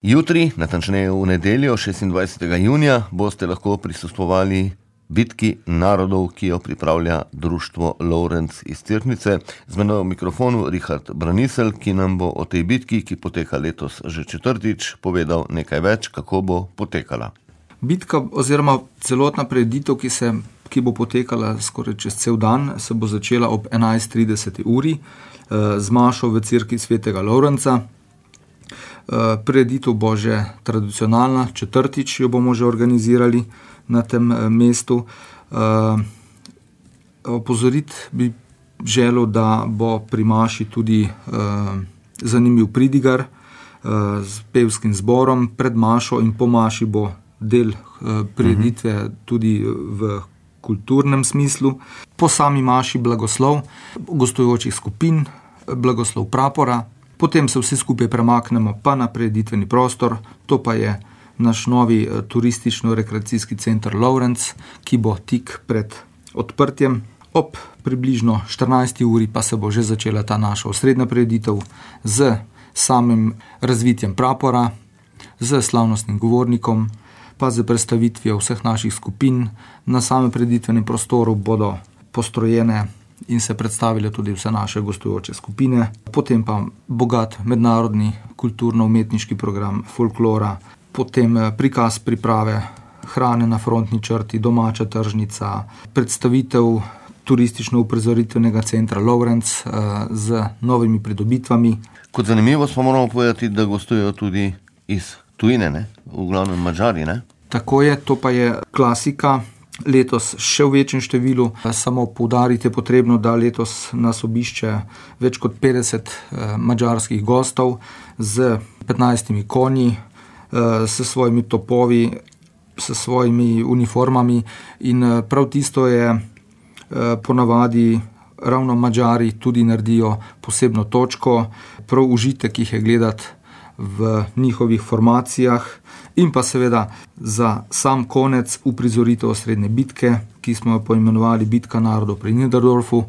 Jutri, natančneje v nedeljo, 26. junija, boste lahko prisostvovali bitki narodov, ki jo pripravlja društvo Lovrenc iz Cerknice. Z menoj v mikrofonu Richard Braniselj, ki nam bo o tej bitki, ki poteka letos že četrtič, povedal nekaj več, kako bo potekala. Bitka oziroma celotna prireditev, ki bo potekala skoraj čez cel dan, se bo začela ob 11:30 uri z mašo v cerkvi svetega Lovrenca. Prireditev bo že tradicionalna, četrtič jo bomo že organizirali na tem mestu. Opozoriti bi želel, da bo pri maši tudi zanimiv pridigar s pevskim zborom. Pred mašo in po maši bo del prireditve tudi v kulturnem smislu. Po sami maši blagoslov gostujočih skupin, blagoslov prapora. Potem se vsi skupaj premaknemo pa na prireditveni prostor, to pa je naš novi turistično-rekreacijski center Lovrenc, ki bo tik pred odprtjem. Ob približno 14. uri pa se bo že začela ta naša osrednja prireditev z samim razvitjem prapora, z slavnostnim govornikom, pa z predstavitvijo vseh naših skupin. Na samem prireditvenem prostoru bodo postrojene in se predstavile tudi vse naše gostujoče skupine. Potem pa bogat mednarodni kulturno-umetniški program folklora, potem prikaz priprave hrane na frontni črti, domača tržnica, predstavitev turistično-uprizoritvenega centra Lovrenc z novimi pridobitvami. Kot zanimivo pa moramo povedati, da gostujejo tudi iz tujine, ne? V glavnem Madžari, ne? Tako je, to pa je klasika. Letos še v večjem številu, samo poudariti je potrebno, da letos nas obišče več kot 50 madžarskih gostov z 15 konji, s svojimi topovi, s svojimi uniformami in prav tisto je ponavadi ravno Madžari tudi naredijo posebno točko, prav užitek jih je gledati v njihovih formacijah. In pa seveda za sam konec uprizoritev osrednje bitke, ki smo jo poimenovali Bitka narodov pri Niederdorfu.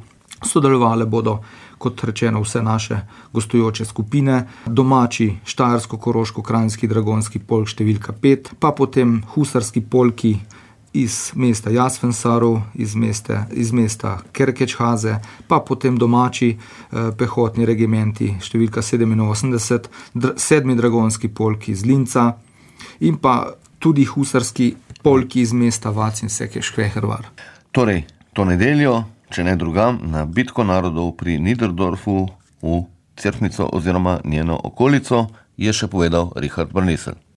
Sodelovale bodo, kot rečeno, vse naše gostujoče skupine, domači štajersko-koroško-kranjski dragonski polk številka 5, pa potem husarski polki iz mesta Jasvensarov, iz mesta Kerkečhaze, pa potem domači pehotni regimenti številka 87, 7. dragonski polk iz Linca, in pa tudi husarski polki iz mesta Vac in Sekeš-Kvehervar. Torej, to nedeljo, če ne drugam, na Bitko narodov pri Niederdorfu v Cerknico oziroma njeno okolico, je še povedal Richard Braniselj.